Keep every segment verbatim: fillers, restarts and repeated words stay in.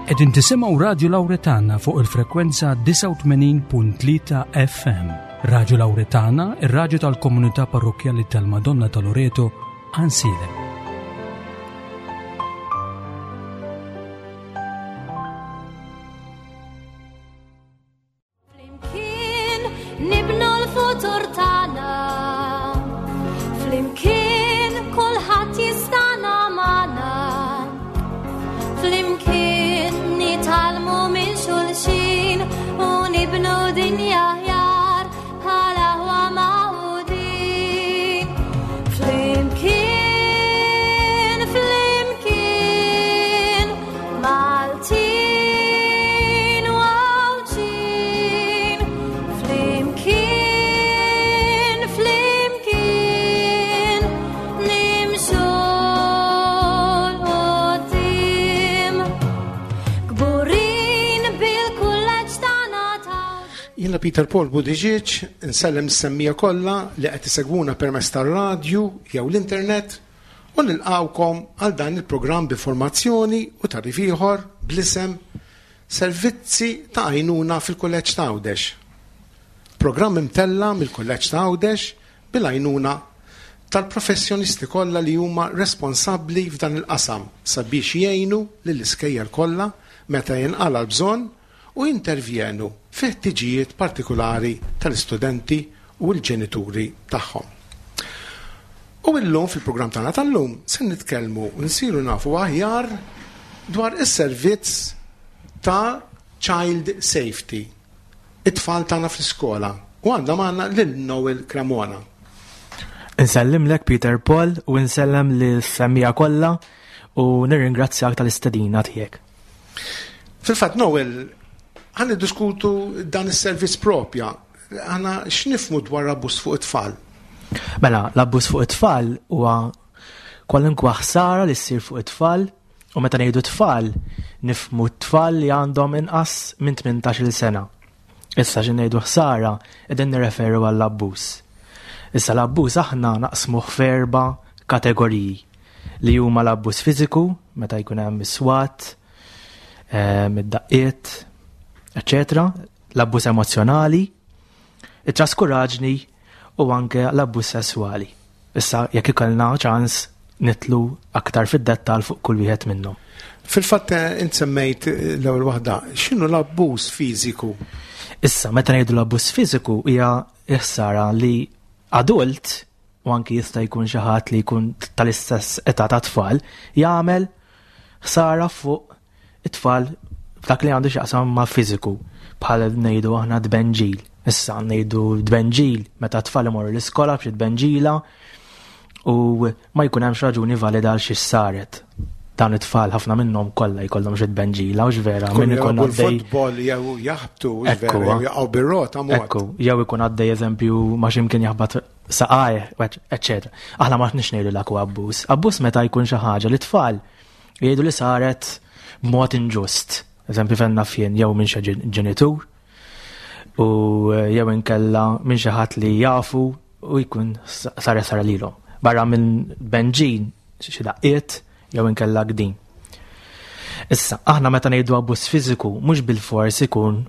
Qegħdin tisimgħu Radio Lauretana fuq il-frekwenza disgħa u tmenin punt tlieta F M. Radio Lauretana, ir-radju tal-komunità parrokjali tal-Madonna ta' Loreto, Għajnsielem. Flimkien nibnu l-futur tagħna. Flimkien kulħadd jistana magħna. Flimkien nitgħallmu minn xulxin u nibnu dinja aħjar bħala aħwa magħqudin. Flimkien, flimkien, Maltin u Għawdxin. Flimkien, flimkien, nimxu 'l quddiem. Kburin bil-kulleġġ tagħna ta' Jiena Peter Paul Buttigieg, insellem is-semmiegħa kollha li qed isegwuna permezz tar-radju jew l-internet u nilqawkom għal dan il-programm b'informazzjoni u tagħrif ieħor bl-isem Servizzi ta' Għajnuna fil-Kulleġġ ta' Għawdex. Programm imtella mill-Kulleġġ ta' Għawdex bil-għajnuna tal-professjonisti kollha li huma responsabbli f'dan il-qasam sabiex jgħinu lill-iskejjel kollha meta jinqala l-bżonn u jintervjenu fi ħtiġijiet partikolari tal-istudenti u l-ġenituri tagħhom. U illum fil-programm tagħna tal-lum se nitkellmu u nsiru nafu aħjar dwar is-servizz ta' child safety, it-tfal tagħna fl-iskola. U għandna magħna lil Noel Cremona. Insellimlek, Peter Paul, u insellem lis-semmiegħa kollha u nirringrazzjak tal-istedina tiegħek. Fil-fatt, Noel, ħa niddiskutu dan is-servizz propja. Aħna x'nifhmu dwar abbuż fuq it-tfal? Mela, l-abbuż fuq it-tfal huwa kwalunkwe ħsara li ssir fuq it-tfal, u meta ngħidu tfal nifhmu t-tfal li għandhom inqas minn tmintax-il sena. Issa xi ngħidu ħsara, qegħdin nirreferu għall-abbuż. Issa l-abbuż aħna naqsmuh f'erba' kategoriji, li huma l-abbuż fiżiku, meta jkun hemm is-swat, ehm, id-daqqiet, eċċetera, l-abbuż emozjonali, it-traskuraġni u anke l-abbuż sesswali. Issa jekk ikollna ċans nidħlu aktar fid-dettall fuq kull wieħed minnhom. Fil-fatt, eh, int semmejt eh, l-ewwel waħda, x'inhu l-abbuż fiżiku? Issa meta ngħidu l-abbuż fiżiku, hija ħsara li adult, u anki jista' jkun xi ħadd li jkun tal-istess età ta' tfal, jagħmel ħsara fuq it-tfal f'dak li għandu x'jaqsam ma' fiżiku, bħal ngħidu aħna tbenġil. Issa ngħidu tbenġil meta tfal imorru l-iskola b'xi tbenġila u ma jkun hemmx raġuni valida għal xi saret. Dan it-tfal ħafna minnhom kollha jkollhom xi tbenġila, u vera min ikun jilagħbu għaddej l-futbol jew jaħbtu, Ekku, vera, jew jaqgħu bir-rota mod. Ekku, jew ikun għaddej, eżempju, ma x'imkien jaħbat saqaj, eċċetera. Aħna ma nix ngħidu dak huwa abbuż. Abbuż meta jkun xi ħaġa li tfal jgħidu li saret b'mod inġust. Eżempju, fejn naf jien, jew minn xi ġen- ġenitur u jew inkella minn xi ħadd li jafu u jkun saret sara lilhom. Barra minn benġin, xi daqqiet jew inkella gdin. Issa, aħna meta ngħidu abbuż fiżiku, mhux bil-fors ikun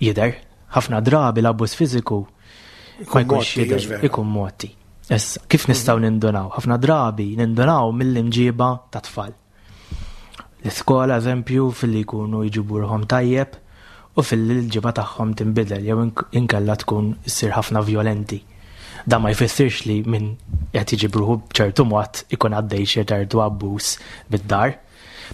jidher. Ħafna drabi l-abbuż fiżiku ma Ikun jkunx motti, jidher, hux vera? ikun motti. Issa, kif nistgħu nindunaw? Ħafna drabi nindunaw mill-imġiba ta' tfal. L-iskola, eżempju, filli jkunu jġibu ruħhom tajjeb u filli l-ġiba tagħhom tinbidel jew ink- inkella tkun issir ħafna violenti. Da ma jfissirx li min qed jiġi ruħu b'ċertu mod ikun għaddej xi ċertu abbuż bid-dar.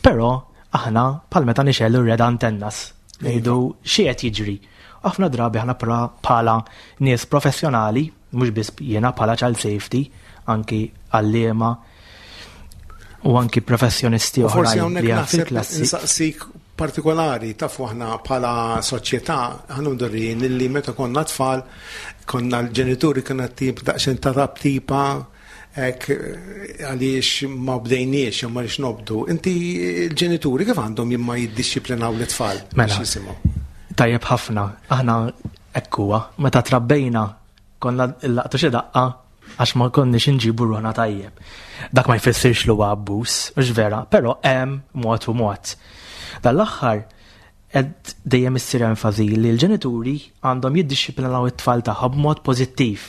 Però aħna bħal meta nixegħlu red antennas, ngħidu xi qed jiġri. Ħafna drabi aħna pra- bħala nies professjonali, mhux biss jiena bħala child safety, anki għalliema u anki professjonisti U forsi oħrajn hawnhekk li hemm naħseb fil-klassi. insaqsik partikolari, tafu aħna bħala soċjetà aħna mdorrijin illi meta konna tfal konna l-ġenituri konna tip daqsxejn ta' tipa hekk, għaliex ma bdejniex jew ma rix nobdu. Inti l-ġenituri kif għandhom jimma jiddixxiplinaw l-tfal Mela. biex jisimgħu? Tajjeb ħafna, aħna ekkuwa, meta trabbejna konna laqtu xi daqqa għax ma konniex inġibu ruħna tajjeb. Dak ma jfissirx li huwa abbuż, mhux vera, però hemm mod u mod. Dan l-aħħar qed dejjem issir enfasi li l-ġenituri għandhom jiddixxiplinaw it-tfal tagħhom b'mod pożittiv.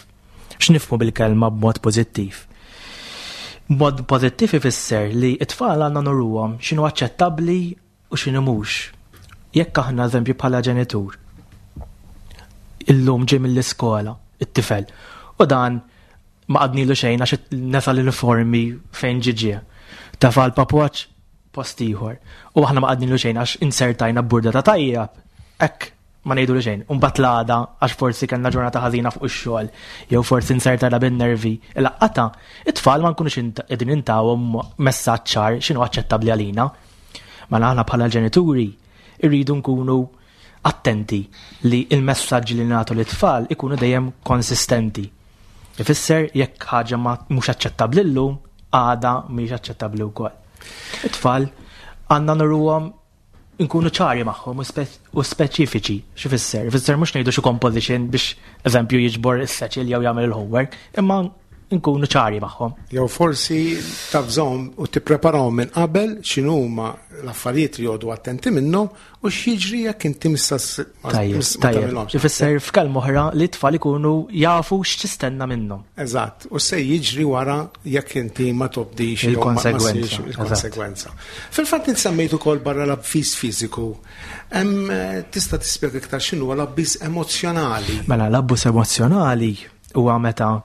X'nifhmu bil-kelma b'mod pożittiv? B'mod pożittiv ifisser li t-tfal għandna nuruhom x'inhu aċċettabbli u x'inhu mhux. Jekk aħna, eżempju, bħala ġenitur, illum ġie mill-iskola, it-tifel, u dan ma għednilu xejn għax nesa l-uniformi fejn ġie. Tefa' l-papuċ post ieħor. U aħna ma għednilu xejn għax inzertajna burdata tajjeb. Hekk ma ngħidulu xejn. Imbagħad l-għada, għax forsi kellna ġurnata ħażina fuq ix-xogħol, jew forsi inzertajna bin-nervi. Il-laqqata, it-tfal ma nkunux qegħdin intawhom messaġġ ċar x'inhu aċċettabbli għalina. Ma aħna bħala ġenituri irridu nkunu attenti li il-messaġġi li nagħtu lit-tfal ikunu dejjem konsistenti. Ifisser jekk ħaġa ma mhux aċċettabbli llum, għada mhix aċċettabbli wkoll. It-tfal għandna nuruhom, nkunu ċari magħhom u speċifiċi. X'ifisser? Ifisser mhux ngħidu xi composition biex, eżempju, jiġbor is-satchel jew jagħmel il-homework, imma nkunu ċari magħhom. Jew forsi tavżahom u tippreparahom minn qabel x'inhuma l-affarijiet li joqogħdu attenti minnhom u x'jiġri jekk inti missa Tajjeb, tajjeb. Ifisser f'kelma oħra li t-tfal ikunu jafu x'tistenna minnhom. Eżatt, u se jiġri wara jekk inti ma tobdix jew ma- ma Il-konsegwenza, ssirx il-konsegwenza. Fil-fatt int semmejt ukoll barra l-abbiż fiżiku. Hemm eh, tista' tispjega iktar x'inhu l-abbiż emozzjonali? Mela, l-abbuż emozzjonali huwa meta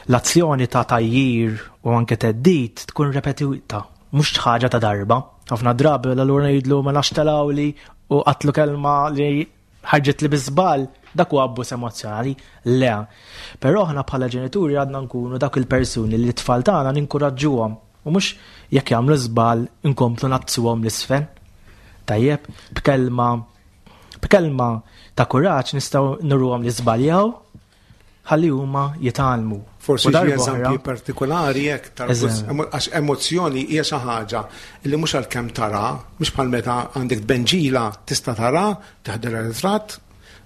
l-azzjoni ta' tgħajjir u anke theddid tkun repetita, mhux ħaġa ta' darba. Ħafna drabi l-allura ngħidlu ma nafx telawli u għedtlu kelma li ħarġet li bi żball, dak huwa abbuż emozzjonali. Le. Però aħna bħala ġenituri għadna nkunu dak il-persuni li t-tfal tagħna ninkuraġġuhom u mhux jekk jagħmlu żball inkomplu ngħaddsuhom 'l isfel. Tajjeb, b'kelma b'kelma ta' kuraġġ nistgħu nuruhom li żbaljaw ħalli huma jitgħallmu. Forsi U xi darba eżempji oħra- partikolari jekk tal-abbuż Eżempju. emo- għax emozzjoni hija xi ħaġa li mhux għalkemm tara, mhux bħal meta għandek benġila tista' tara, teħodilha ritratt,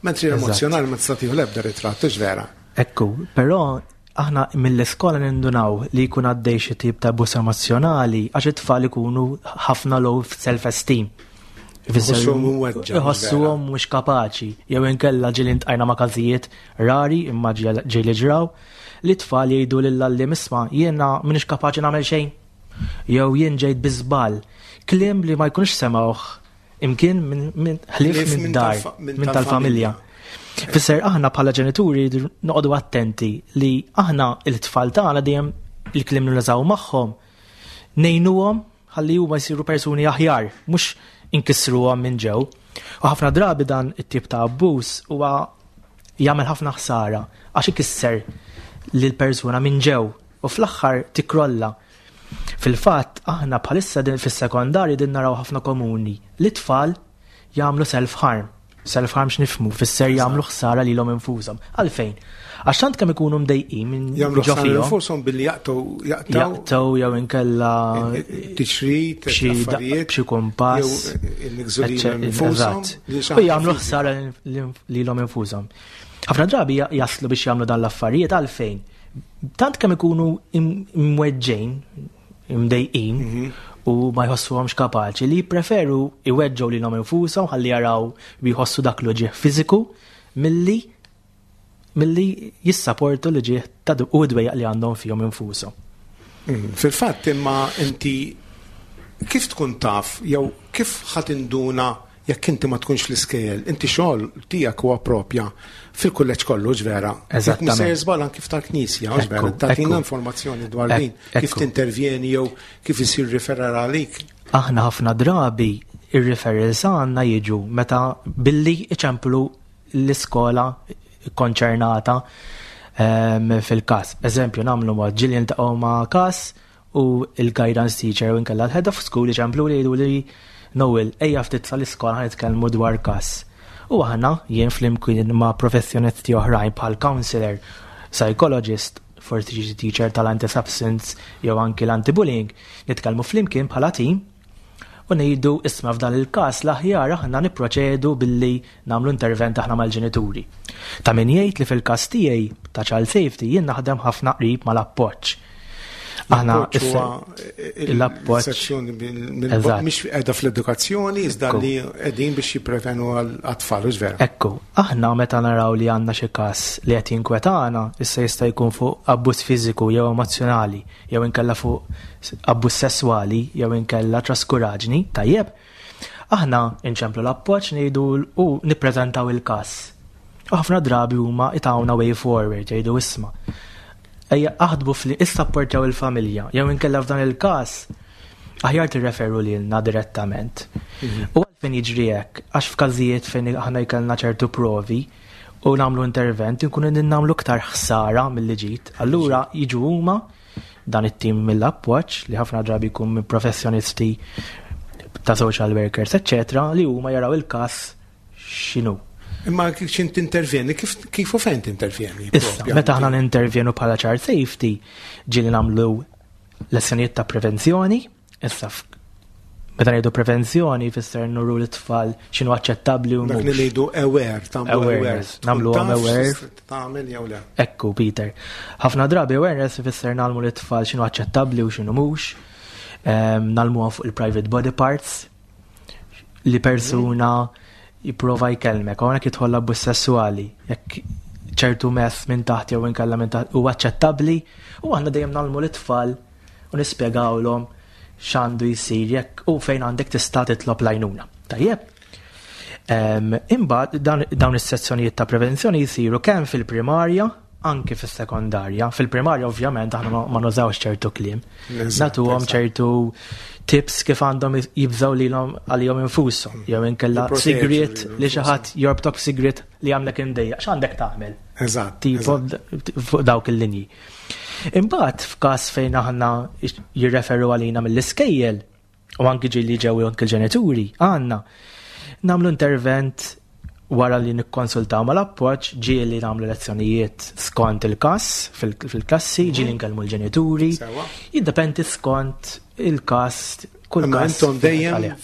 mentri Eżatt. l-emozzjonali ma tista' tieħu l-ebda ritratt, hux vera? Ekku, però aħna mill-iskola nindunaw li jkun għaddej xi tip ta' abbuż emozzjonali għax it-tfal ikunu ħafna low self-esteem. Ifisser Iħossuhom imweġġa', Iħossuhom mhux kapaċi, jew inkella ġieli ltqajna ma' każijiet rari imma ġieli ġieli ġraw li tfal jgħidu lill-għalliem, "Isma', jiena m'iniex kapaċi nagħmel xejn." Jew "Jien ġejt bi żball." Kliem li ma jkunux semgħuh imkien minn min, ħlief Ħlief minn minn dar, tal-fa- minn minn tal-familja. Fisser aħna bħala ġenituri noqogħdu attenti li aħna il-tfal tagħna dejjem il-kliem li nużaw magħhom ngħinuhom ħalli huma jsiru persuni aħjar, mhux inkissruhom minn ġew. U ħafna drabi dan it-tip ta' abbuż huwa jagħmel ħafna ħsara għax ikisser lil persuna minn ġew u fl-aħħar tikrolla. Fil-fatt aħna bħalissa din fis-sekondarji din naraw ħafna komuni li tfal jagħmlu self-harm. Self-harm x'nifhmu? Fisser jagħmlu ħsara lilhom infushom. Għalfejn? Għax tant kemm ikunu mdejqin minn Jagħmlu ġo ħsara fihom, infushom billi jaqtgħu jaqtgħu jaqtgħu jew inkella tiċrit, b'xi affarijiet, b'xi kompass. jew iniggżu lilhom Eċċe- infushom, eżatt. li xi U ħaġa jagħmlu fiżika. ħsara lilhom infushom. Ħafna drabi ja- jaslu biex jagħmlu dan l-affarijiet għalfejn? Tant kemm ikunu im- imweġġejn, imdejqin Mhm. u ma jħossuhomx kapaċi li jippreferu iweġġgħu lilhom infushom ħalli jaraw bi jħossu dak l-uġigħ fiżiku milli milli jissaportu l-uġigħ ta' u dwejjaq li għandhom fihom infushom. Mm, Fil-fatt imma inti kif tkun taf jew kif ħa tinduna jekk inti ma tkunx fl-iskejjel, inti xogħol tiegħek huwa propja fil-kulleġġ kollu, vera? Jekk Eżattament. mhux żball anki tal-Knisja, vera? Ekku, Tagħtina ekku. informazzjoni dwar Ek- din, kif ekku. tintervjeni jew kif isir referral għalik. Aħna ħafna drabi ir-referrals għandna jiġu meta billi iċemplu l-iskola konċernata em, fil-kas. Eżempju, nagħmlu mod, ġieli niltaqgħu ma' kas u il-guidance teacher u inkella l-head of school iċemplu li jgħidu li, "Noel, ejja ftit sal-iskola, ħa nitkellmu dwar kas." U aħna jien flimkien ma' professjonisti oħrajn bħal counselor, psychologist, forsi xi teacher tal-anti-substance jew anki l-anti-bullying, nitkellmu flimkien bħala team u ngħidu, "Isma', f'dan il-każ l-aħjar aħna nipproċedu billi nagħmlu intervent aħna mal-ġenituri." Ta' min jgħid li fil-każ tiegħi ta' child safety jien naħdem ħafna qrib mal-appoġġ. Aħna L-appoġġ issa- huwa l-appoġġ- il-sezzjoni mill- Eżatt. mhix qiegħda fl-edukazzjoni iżda Ekku. li qegħdin biex jipprevenu għall-atfal, hux vera? Ekku, aħna meta naraw li għandna xi każ li qed jinkwetana, issa jista' jkun fuq abbuż fiżiku jew emozjonali, jew inkella fuq abbuż sesswali, jew inkella traskuraġni, tajjeb. Aħna inċemplu l-appoġġ ngħidu u nippreżentaw il-każ. U ħafna drabi huma itawna way forward, jgħidu isma'. Ejja aħdbu fli issapportjaw il-familja, jew inkella f'dan il-każ aħjar tirreferu lilna direttament. U għalfejn jiġri hekk, għax f'każijiet fejn aħna jkollna ċertu provi u nagħmlu intervent, inkunu nagħmlu iktar ħsara milli ġid. Allura jiġu huma dan it-tim mill-appoġġ li ħafna drabi jkun minn professjonisti ta' social workers, eccetera, li huma jaraw il-każ x'inhu. Imma kif x'int tintervjeni, kif kif u fejn tintervjeni? Issa, propja? meta aħna nintervjenu bħala child safety, ġieli nagħmlu lezzjonijiet ta' prevenzjoni, issa f- meta ngħidu prevenzjoni fisser nuru l-tfal x'inhu aċċettabbli u Dak li mhux. ngħidu aware, tagħmlu aware. Awareness, nagħmluhom Tkun taf aware. x'tista' Tagħmel jew le. Ekku, Peter. Ħafna drabi awareness ifisser nagħmlu l-tfal x'inhu aċċettabbli u x'inhu mhux. Ehm, Nagħmluhom fuq il-private body parts li persuna jipprova jkellmek, hawnhekk jidħol abbuż sessuali, jekk ċertu mess minn taħt jew inkella minn taħt huwa aċċettabbli, u aħna dejjem nagħmlu l-tfal u nispjegawlhom x'għandu jsir jekk u fejn għandek tista' titlob l-għajnuna. Tajjeb. Em, Imbagħad dawn dawn is-sezzjonijiet ta' prevenzjoni jsiru kemm fil-primarja anke fis-sekondarja. Fil-primarja ovvjament aħna ma- ma nużawx ċertu kliem. Eżatt, Nagħtuhom eżatt. ċertu tips kif għandhom jibżaw lilhom għalihom infushom. Jew inkella Jipproteġu sigriet lilhom li xi ħadd jorbtok sigriet li għamlek imdejjaq. X'għandek tagħmel? Eżatt. Tipo eżatt. fuq dawk il-linji. Imbagħad f'każ fejn aħna jirreferu għalina mill-iskejjel u anki ġieli ġew anki l-ġenituri għandna nagħmlu intervent wara li nikkonsultaw mal-appoġġ, ġieli nagħmlu lezzjonijiet skont il-każ fil- fil-klassi, ġieli nkellmu l-ġenituri. Sewa. Jiddependi skont il-każ, kull Imma każ intom dejjem għalih.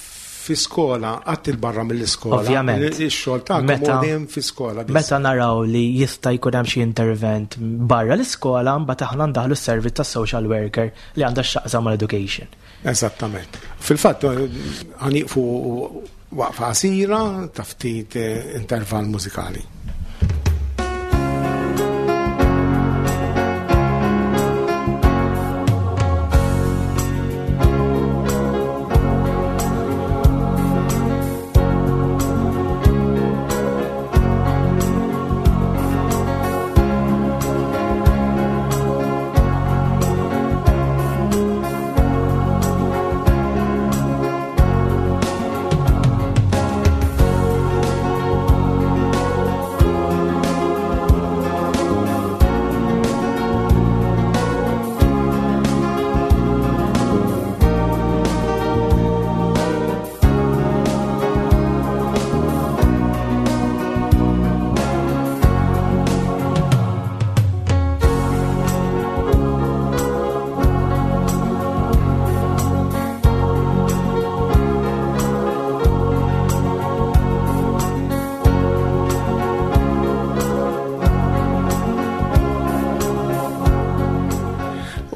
fi skola, qatt il-barra mill-iskola. Ovvjament. Ix-xogħol tagħkom Meta- huwa dejjem fi skola. biss. Meta naraw li jista' jkun hemm xi intervent barra l-iskola, mbagħad aħna ndaħlu s-servizz tas-social worker li għandha x'taqsam mal-education. Eżattament. Fil-fatt, ħa nieqfu waqfa qasira ta' ftit eh, intervall mużikali.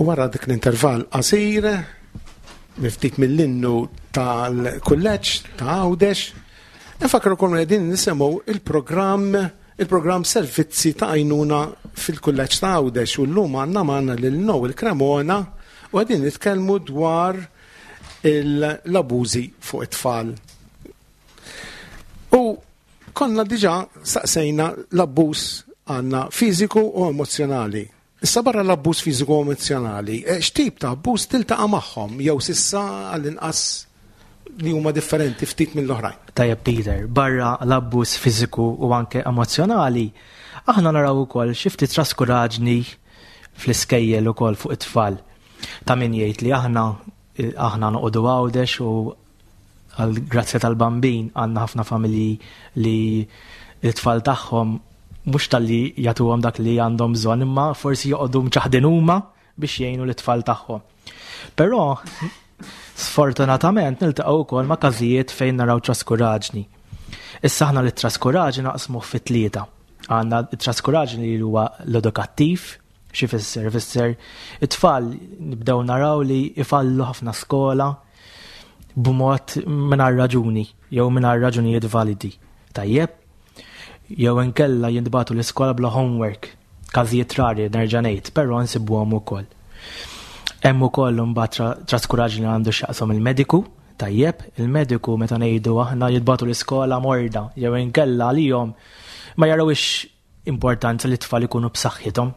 U wara dik l-intervall qasir, miftit mill-innu tal-kulleġġ ta' Għawdex, nfakrukom li qegħdin nisimgħu il-programm il-programm servizzi ta' għajnuna fil-kulleġġ ta' Għawdex u llum għandna magħna lil Noel Cremona u qegħdin nitkellmu dwar l-abużi fuq it-tfal. U konna diġà saqsejna l-abbuż għandna fiżiku u emozjonali. Issa barra l-abbuż fiżiku u emozjonali, eh, x'tip ta' abbuż tiltaqa' magħhom jew s'issa għall-inqas li huma differenti ftit mill-oħrajn. Tajjeb Peter, barra l-abbuż fiżiku u anke emozjonali, aħna naraw ukoll xi ftit traskuraġni fl-iskejjel ukoll fuq it-tfal. Ta' min jgħid li aħna aħna noqogħdu Għawdex u għal grazzja tal-bambin għandna ħafna familji li l-tfal tagħhom mhux talli jagħtuhom dak li għandhom bżonn imma forsi joqogħdu mċaħdin huma biex jgħinu l-tfal tagħhom. Però sfortunatament niltaqgħu wkoll ma' każijiet fejn naraw traskuraġni. Issa aħna li traskuraġni naqsmu fi tlieta. Għandna traskuraġni li huwa l-edukattiv, Xi fisser? Fisser it-tfal nibdew naraw li ifallu ħafna skola b'mod mingħajr raġuni jew mingħajr raġunijiet validi. Tajjeb? Jew inkella jintbagħtu l-iskola bla homework, każijiet rari nerġa' ngħid, però nsibuhom ukoll. Hemm ukoll imbagħad traskuraġni li għandu x'jaqsam il-mediku, tajjeb, il-mediku meta ngħidu aħna jintbagħtu l-iskola morda, jew inkella għalihom ma jarawix importanza li t-tfal ikunu b'saħħithom.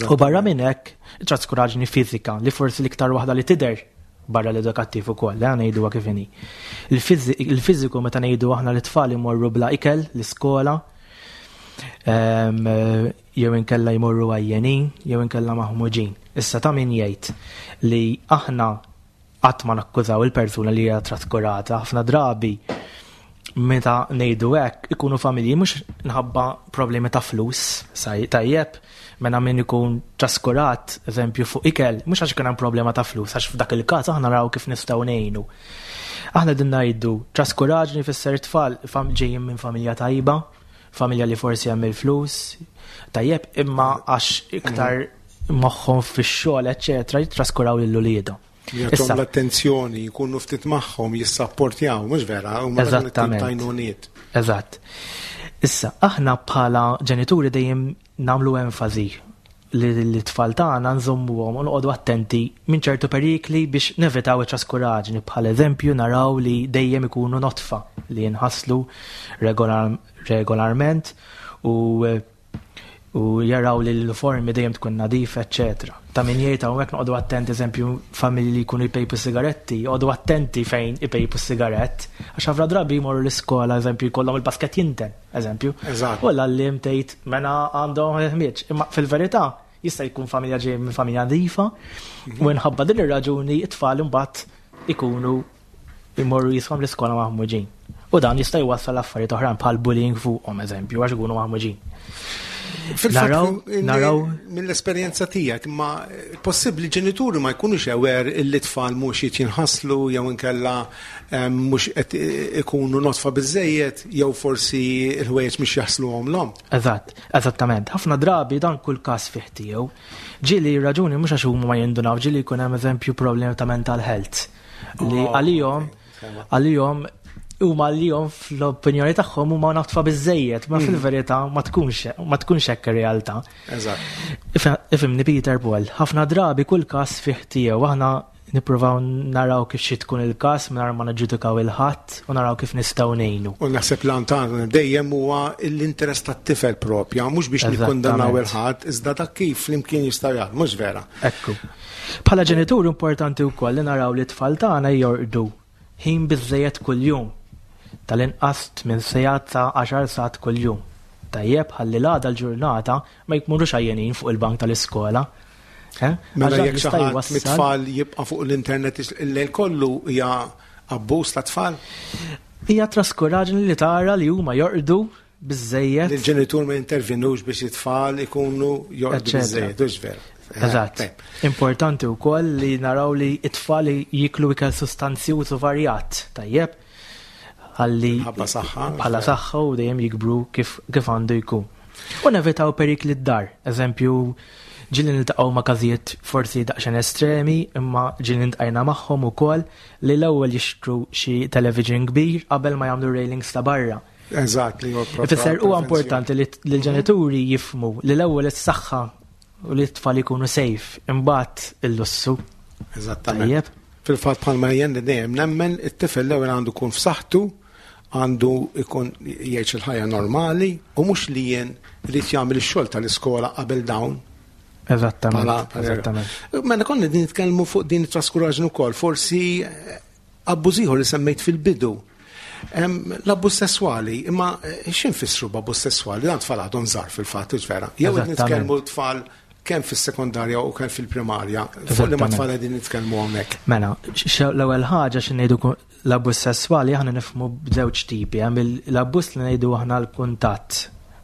U barra minn hekk, traskuraġni fiżika li forsi l-iktar waħda li tidher barra l-edukattiv ukoll, eh, ngħiduha kif inhi. Il-fiżiku meta ngħidu aħna li tfal imorru bla ikel l-iskola, jew inkella jmorru għajjenin, jew inkella maħmuġin. Issa ta' min jgħid li aħna qatt ma nakkużaw il-persuna li hija traskurata, ħafna drabi meta ngħidu hekk ikunu familji mhux nħabba problemi ta' flus, tajjeb, mela min ikun traskurat, eżempju fuq ikel, mhux għax kien hemm problema ta' flus, għax f'dak il-każ aħna naraw kif nistgħu ngħinu. Aħna din ngħidu traskuraġni fisser tfal ġejjin minn familja tajba, familja li forsi hemm il-flus, tajjeb, imma għax iktar moħħhom fix-xogħol, eċċetera, jitraskuraw lil uliedhom. Jagħtuhom l-attenzjoni, jkunu ftit magħhom, jissapportjaw, mhux vera, huma Eżattament. Eżatt. Issa, aħna bħala ġenituri dejjem nagħmlu enfasi li l-tfal tagħna nżommuhom u noqogħdu attenti minn ċertu perikli biex nevitaw it-traskuraġni. Bħal eżempju naraw li dejjem ikunu notfa li jinħaslu regolarment u u jaraw li l-uniformi dejjem tkun nadifa, eċċetera. Ta' min jgħid hawnhekk noqogħdu attenti, eżempju, familji li jkunu jpejpu sigaretti, joqogħdu attenti fejn ipejpu sigarett, għax ħafna drabi jmorru l-iskola, eżempju, jkollhom il-basket jinten, eżempju. U l-għalliem tgħid mena għandhom ħmieġ. Imma fil-verità jista' jkun familja ġej minn familja nadifa u minħabba din ir-raġuni it-tfal imbagħad ikunu jmorru jisimhom l-iskola maħmuġin. U dan jista' jwassal affarijiet oħrajn bħal bullying fuqhom, eżempju, għax ikunu maħmuġin. Fil-fatt, naraw mill-esperjenza tiegħek, ma possibbli ġenituri ma jkunux aware illi tfal mhux qed jinħaslu jew inkella mhux qed ikunu notfa biżejjed jew forsi l-ħwejjeġ mhux jaħsluhom l Eżatt, eżattament. Ħafna drabi dan kull każ fih tiegħu. Ġieli raġuni mhux għax huma ma jindunaw, ġieli jkun hemm eżempju problemi ta' mental health li oh, għalihom għalihom huma għalihom fl-opinjoni tagħhom huma notfa biżejjed, ma mm. fil-verità ma tkunx ma tkunx hekk ir-realtà. Eżatt. Ifhimni Peter Paul, ħafna drabi kull każ fih tiegħu aħna nippruvaw naraw kif xi tkun il-każ mingħajr ma niġġudikaw il-ħadd u naraw kif nistgħu ngħinu. U naħseb l tagħna dejjem huwa l-interess tat-tifel propja, mhux biex nikkundannaw il-ħadd, iżda dak kif flimkien jistgħu jaħdmu, mhux vera. Ekku. Bħala ġenitur importanti wkoll li naraw li t-tfal tagħna jorqdu ħin biżejjed kuljum tal-inqas tmien sigħat sa għaxar sigħat kuljum. Tajjeb, ħalli l-għada l-ġurnata ma jmorrux għajjenin fuq il-bank tal-iskola. Eh? Mela jekk xi ħadd mit-tfal jibqa' fuq l-internet il-lejl kollu hija abbuż ta' tfal? Hija traskuraġni li tara li huma jorqdu biżejjed. Il-ġenitur ma jintervenux biex it-tfal ikunu jorqdu biżejjed, hux vera. Eżatt. Importanti wkoll li naraw li it-tfal jiklu ikel sustanzjuż u varjat, tajjeb? Ħalli bħala saħħa u dejjem jikbru kif kif għandu jkun. U nevitaw perikli d-dar, eżempju, ġieli niltaqgħu ma' każijiet forsi daqsxejn estremi, imma ġieli ltqajna magħhom ukoll li l-ewwel jixtru xi television kbir qabel ma jagħmlu railings ta' barra. Eżatt, li huwa Ifisser huwa importanti li l-ġenituri jifhmu li l-ewwel is-saħħa u li t-tfal ikunu safe, imbagħad il-lussu. Eżattament. Fil-fatt bħalma jien dejjem nemmen it-tifel l-ewwel għandu jkun f'saħħtu, għandu jkun jgħix il-ħajja normali u mhux li jien irid jagħmel ix-xogħol tal-iskola qabel dawn. Eżattament. Eżattament. Mela konna din nitkellmu fuq din it-traskuraġni wkoll, forsi abbuż ieħor li semmejt fil-bidu. L-abbuż sesswali, imma x'infissru b'abbuż sesswali? Dan tfal għadhom żgħar fil-fatt, vera. Jew qed nitkellmu tfal kemm fis-sekondarja u kemm fil-primarja, fuq li ma tfal qegħdin nitkellmu hawnhekk. Mela, l-ewwel ħaġa xi ngħidu l-abbuż sesswali aħna nifhmu b'żewġ tipi, hemm l-abbuż li ngħidu aħna l-kuntatt,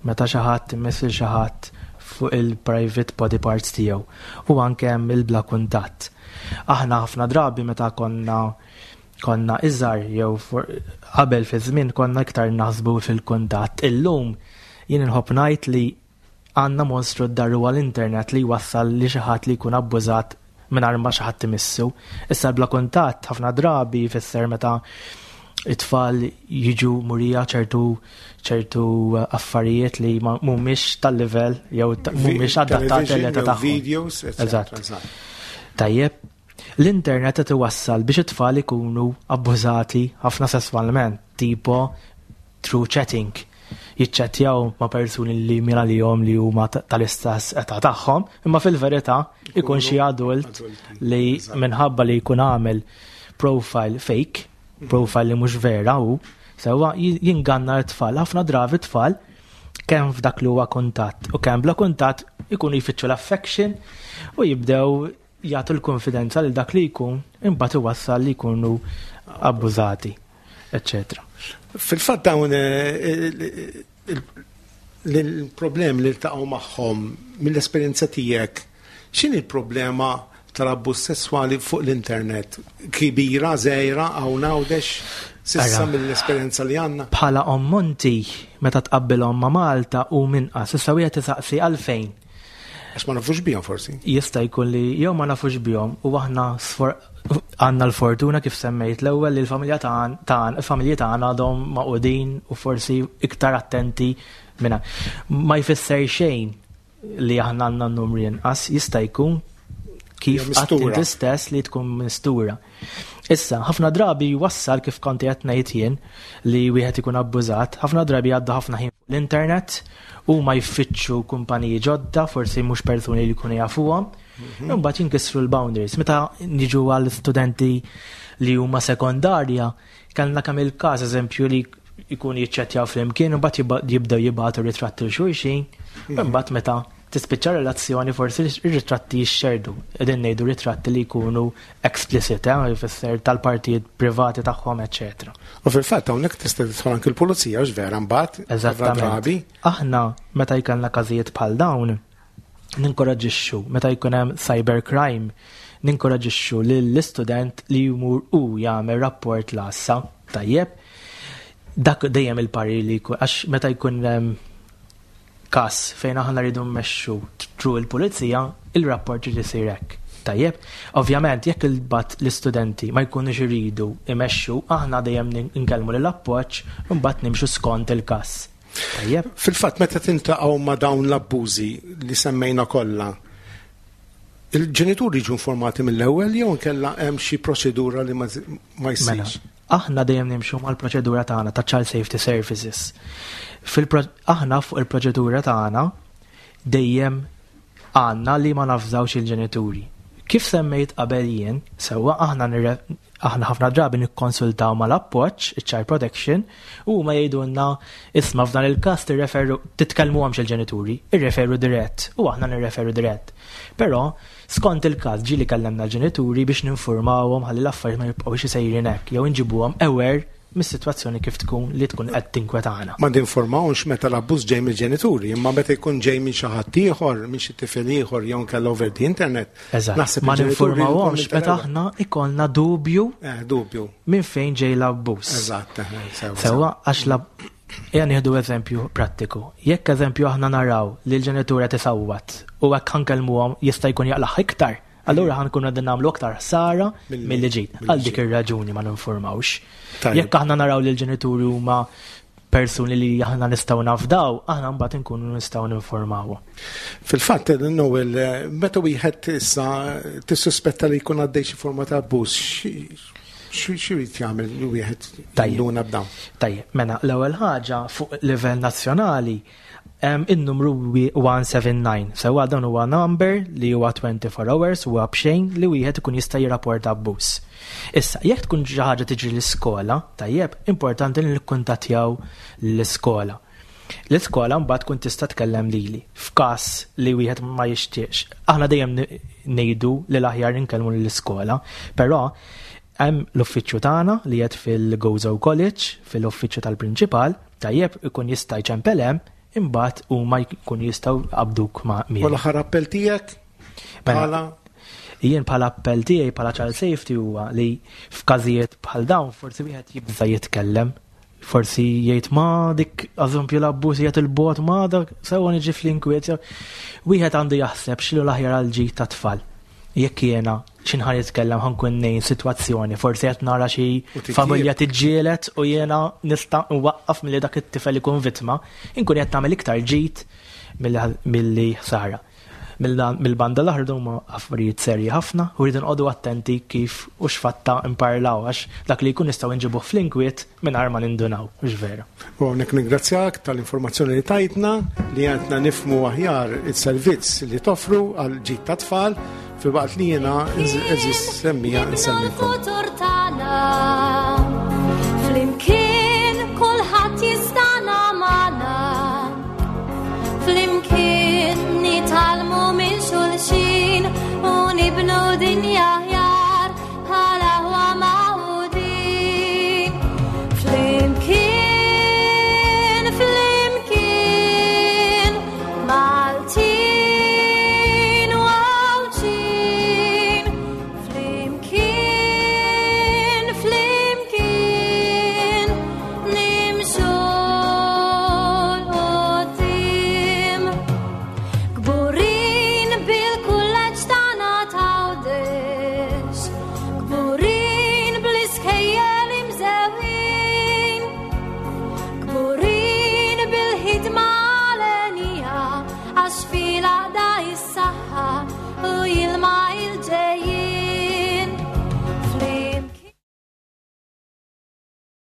meta xi ħadd imiss lil xi ħadd fuq il-private body parts tiegħu, u anke hemm il-bla kuntatt. Aħna ħafna drabi meta konna konna iżgħar jew qabel fi żmien konna iktar naħsbu fil-kuntatt. Illum jien inħobb ngħid li Għandna monstru d-dar huwa l-internet li jwassal li xi ħadd li jkun abbużat mingħajr ma xi ħadd imissu. Issa bla kuntatt ħafna drabi jfisser meta it-tfal jiġu murija ċertu ċertu affarijiet li ma mhumiex tal-livell jew ta- mhumiex adattati l-età tagħhom. Videos, eccetera. Eżatt. Eżatt. Tajjeb, l-internet qed iwassal biex it-tfal ikunu abbużati ħafna sesswalment, tipo through chatting. Jiċċettjaw ma' persuni li mira li jom li huma ta- tal-istess età tagħhom, imma fil-verità ikun xi adult Adulti. li Eżatt. minħabba li jkun għamel profile fake, profile li mhux vera u sewwa j- jinganna l-tfal. Ħafna drabi tfal kemm f'dak li huwa kuntatt u kemm bla kuntatt ikunu jfittxu l-affection u jibdew jagħtu l-konfidenza lil dak li jkun, imbagħad iwassal li jkunu abbużati, eccetera. Fil-fatt dawn eh, il- il- il-problemi li ltaqgħu magħhom mill-esperjenza tiegħek, x'inhi il-problema tal-abbuż sesswali fuq l-internet? Kbira, żgħira, hawn Għawdex s'issa Ara. mill-esperjenza li għandna? Bħala ammonti meta tqabbilhom ma' Malta u minqas, issa wieħed isaqsi għalfejn. Għax ma nafux bihom forsi. Jista' jkun li jew ma nafux bihom u aħna sfor- għandna l-fortuna, kif semmejt l-ewwel, li l-familja tagħna, il-familji tagħna għadhom magħqudin u forsi iktar attenti minna. Ma jfisser xejn li aħna għandna n-numri inqas, jista' jkun kif Jew mistura. għedt inti stess li tkun mistura. Issa, ħafna drabi jwassal, kif konti qed ngħid jien, li wieħed ikun abbużat, ħafna drabi għadda ħafna ħin fuq l-internet u ma jfittxu kumpaniji ġodda, forsi mhux persuni li jkunu jafuhom, imbagħad jinkisru l-boundaries. Meta niġu għal studenti li huma sekondarja, kellna kemm il-każ, eżempju, li jkun jiċċettjaw flimkien, u mbagħad jibba- jibdew jibgħatu ritratti 'l xulxin, u mbagħad meta tispiċċa relazzjoni forsi ir-ritratti jixxerdu. Qegħdin ngħidu ritratti li jkunu explicit, eh, jfisser tal-partijiet privati tagħhom, eċetera. U fil-fatt hawnhekk tista' tidħol anke l-pulizija, għax vera mbagħad Eżattament. drabi. Aħna meta jkollna każijiet bħal dawn, ninkoraġixxu, meta jkun hemm cybercrime, ninkoraġixxu lill-istudent li jmur u jagħmel rapport l-għassa. Tajjeb. Dak dejjem il-parir li jkun, għax meta jkun hemm każ fejn aħna rridu mmexxu through il-pulizija, il-rapport irid isir hekk. Tajjeb, ovvjament jekk il-bat l-istudenti ma jkunux iridu imexxu, aħna dejjem nkellmu lill-appoġġ u mbagħad nimxu skont il-każ. Tajjeb. Fil-fatt meta tiltaqgħu ma' dawn l-abbużi li semmejna kollha, il-ġenituri jiġu informati mill-ewwel jew inkella hemm xi proċedura li ma ma Mela, jsirx? Aħna dejjem nimxu mal-proċedura tagħna ta' Child Safety Services. Fil aħna fuq il-proċedura tagħna dejjem għandna li ma nafżawx il-ġenituri. Kif semmejt qabel jien, sewwa, aħna nirre- aħna ħafna drabi nikkonsultaw mal-appoġġ, il-Child Protection, u ma jgħidulna, "Isma', f'dan il-każ tirreferu, titkellmu il-ġenituri, irreferu dirett," u aħna nirreferu dirett. Però skont il-każ ġieli kellemna l-ġenituri biex ninformawhom ħalli l-affarijiet ma jibqgħux isejrin hekk jew inġibuhom aware mis-sitwazzjoni kif tkun li tkun qed tinkwetana. Ma ninformawx meta l-abbuż ġej mill-ġenituri, imma meta jkun ġej minn xi ħadd ieħor, minn xi tifel ieħor jew inkella over the internet. Eżatt. Naħseb Ma il-ġenituri ninformawhomx jkun meta aħna ikollna dubju Eh, dubju. minn fejn ġej l-abbuż. Eżatt, eh, sewa. Sewwa, għax la Ejja nieħdu eżempju prattiku. Jekk, eżempju, aħna naraw li l-ġenitura tisawwat u hekk ħa nkellmuhom jista' jkun jaqlaħ iktar, allura ħa nkunu qegħdin nagħmlu aktar ħsara Milli- milli ġid. milli Għal dik ġid. ir-raġuni ma ninformawx. Tajjeb. Jekk aħna naraw li l-ġenituri huma persuni li aħna nistgħu nafdaw, aħna mbagħad inkunu nistgħu ninformaw. Fil-fatt, Noel, meta wieħed issa tissuspetta li jkun għaddej xi forma ta' abbuż, xi jrid jagħmel wieħed Tajjeb. jinduna b'dawn? Tajjeb, mela l-ewwel ħaġa, fuq livell nazzjonali hemm in-numru wieħed seba' disa. Sewwa, dan huwa number li huwa twenty-four hours, huwa b'xejn, li wieħed ikun jista' jirrapporta abbuż. Issa, jekk tkun xi ħaġa tiġri l-iskola, tajjeb, importanti li nikkuntattjaw l-iskola. L-iskola mbagħad tkun tista' tkellem lili f'każ li wieħed ma jixtieqx. Aħna dejjem ngħidu li l-aħjar ninkellmu lill-iskola, però hemm l-uffiċċju tagħna li qed fil-Gozo College, fil-uffiċċju tal-prinċipal, tajjeb, ikun jista' jċempel hemm, imbagħad huma jkun jistgħu jqabbduk ma' U min. l-aħħar appell tiegħek? Mela, Bħala jien bħala appell tiegħi bħala Child Safety huwa li f'każijiet bħal dawn forsi wieħed jibża jitkellem. Forsi jgħid ma dik eżempju l-abbuż jgħid il-bot ma dak sewa niġi fl-inkwiet. Wieħed għandu jaħseb x'inhu l-aħjar għal ġid ta' tfal. Jekk jiena x'inħa nitkellem ħa nkun ngħin sitwazzjoni, forsi qed nara xi U titjib. Familja tiġġielet u jiena nista' nwaqqaf milli dak it-tifel ikun vittma, inkun qed nagħmel iktar ġid milli milli ħsara. Mill-banda l-oħra huma affarijiet serji ħafna u rridu nqogħdu attenti kif u x'fatta imparlaw għax dak li jkun nistgħu nġibuh fl-inkwiet mingħajr ma nindunaw, hux vera? U hawnhekk ningrazzjak tal-informazzjoni li tajtna li għentna nifhmu aħjar il-servizz li toffru għal ġid ta' tfal filwaqt li jiena għeżież semmiegħa nsellimkom. Il-futur tagħna. Flimkien kulħadd jistana magħna. Flimkien nitgħallmu minn xulxin u nibnu dinja aħjar bħala aħwa magħqudin. Flimkien, flimkien, Maltin u Għawdxin. Flimkien, flimkien, nimxu 'l quddiem. Kburin bil-kulleġġ tagħna t'Għawdex, kburin bl-iskejjel imżewqin, kburin bil-ħidma għalenija, għax fil-għaqda is-saħħa u jilma il-ġejjin.